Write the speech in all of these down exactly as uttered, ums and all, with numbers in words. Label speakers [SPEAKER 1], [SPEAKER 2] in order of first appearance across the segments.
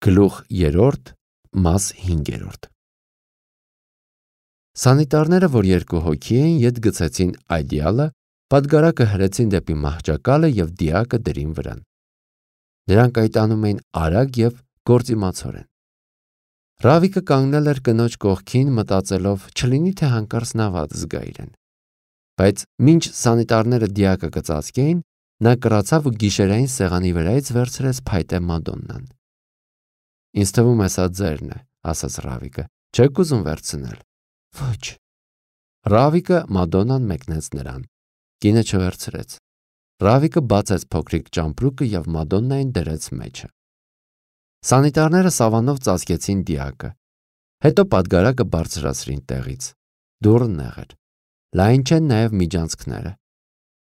[SPEAKER 1] Գլուխ երրորդ, մաս հինգերորդ։ Սանիտարները, որ երկու հոգի էին, ետ գցեցին այդյալը, պատգարակը հրեցին դեպի մահճակալը և դիակը դրին վրան։ Նրանք այդ անում էին արագ և գործիմացորեն։ Ռավիկը կանգնել էր կնոջ կողքին, մտածելով, չլինի թե հանկարծ նա վատ զգա իրեն։ Բայց մինչ սանիտարները դիակը կծածկեին, նա կռացավ ու գիշերային սեղանի վրայից վերցրեց փայտե Մադոննան։ Ինձ թվում է սա ձերն է, ասաց Ռավիկը, չեք ուզում վերցնել։ Ոչ։ Ռավիկը Մադոննան մեկնեց նրան։ Կինը չվերցրեց։ Ռավիկը բացեց փոքրիկ ճամպրուկը և Մադոննային դրեց մեջը։ Սանիտարները սավանով ծածկեցին դիակը։ Հետո պատգարակը բարձրացրին տեղից։ Դուռը նեղ էր։ Լայն չեն նաև միջանցքները։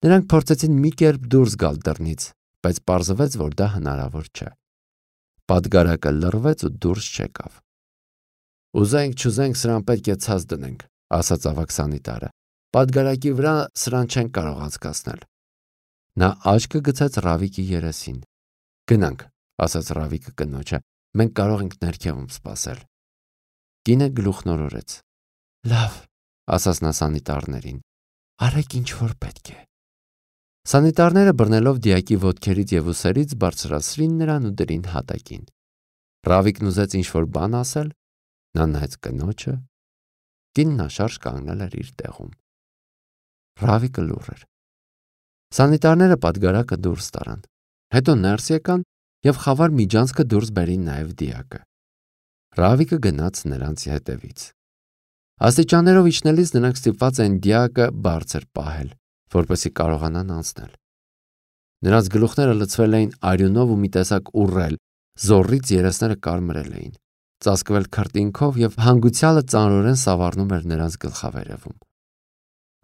[SPEAKER 1] Նրանք փորձեցին մի կերպ դուրս գալ դռնից, բայց պարզվեց, որ դա հնարավոր չէ։ Պատգարակը լռվեց ու դուրս չեկավ։ Ուզենք չուզենք սրան պետք է ցած դնենք, ասաց ավագ սանիտարը։ Պատգարակի վրա սրան չենք կարող անցկացնել։ Նա աչքը գցեց Ռավիկի երեսին։ Գնանք, ասաց Ռավիկը կնոջը, մենք կարող ենք ներքևում սպասել։ Կինը գլուխնորորեց։ Լավ, ասաց նա սանիտարներին, արեք ինչ որ պետք է։ Սանիտարները բռնելով դիակի ոտքերից և ուսերից բարձրացրին նրան ու դրին հատակին։ Ռավիկն ուզեց ինչ-որ բան ասել, նա նայեց կնոջը, կինն անշարժ կանգնել էր իր տեղում։ Ռավիկը լուռ էր։ Սանիտարները պատգարակը դուրս տարան, հետո ներս եկան և խավար միջանցքը դուրս բերին նաև դիակը։ Ռավիկը գնաց նրանց հետևից։ Աստիճաններով իջնելիս նրանք ստիպված էին դիակը բարձր պահել, որպեսզի կարողանան անցնել։ Նրանց գլուխները լցվել էին արյունով ու մի տեսակ ուռել, զոռից երեսները կարմրել էին, ծածկվել քրտինքով և հանգուցյալը ծանրորեն սավառնում էր նրանց գլխավերևում։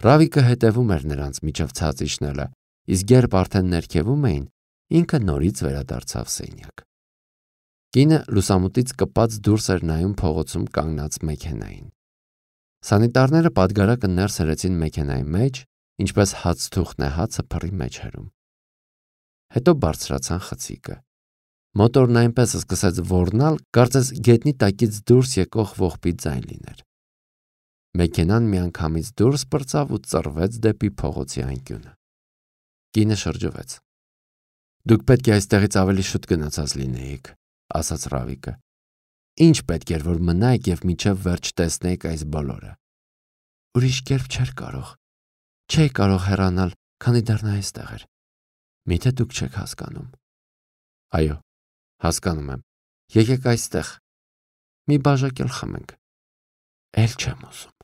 [SPEAKER 1] Ռավիկը հետևում էր նրանց միջև ցած իջնելը, իսկ երբ արդեն ներքևում էին, ինքը նորից վերադարձավ սենյակ։ Կինը լուսամուտից կպած դուրս էր նայում փողոցում կանգնած մեքենային։ Սանիտարները պատգարակը ներս հրեցին մեքենայի մեջ, ինչպես հացթուղթն է հացը փռի մեջ հրում։ Հետո բարձրացան խցիկը։ Մոտորն այնպես սկսեց ոռնալ, կարծես գետնի տակից դուրս եկող ողբի ձայն լիներ։ Մեքենան միանգամից դուրս պրծավ ու ծռվեց դեպի փողոցի անկյունը։ Կինը շրջվեց։ Դուք պետք է այստեղից ավելի շուտ գնացած լինեիք, ասաց Ռավիկը։ Ինչ պետք էր, որ մնայիք և մինչև վերջ տեսնեիք այս բոլորը։ Ուրիշ կերպ չէր կարող։ Չէի կարող հեռանալ, քանի դեռ նա այստեղ էր։ Միթե դուք չեք հասկանում։ Այո, հասկանում եմ։ Եկեք այստեղ։ Մի բաժակ էլ խմենք։ Էլ չեմ ուզում։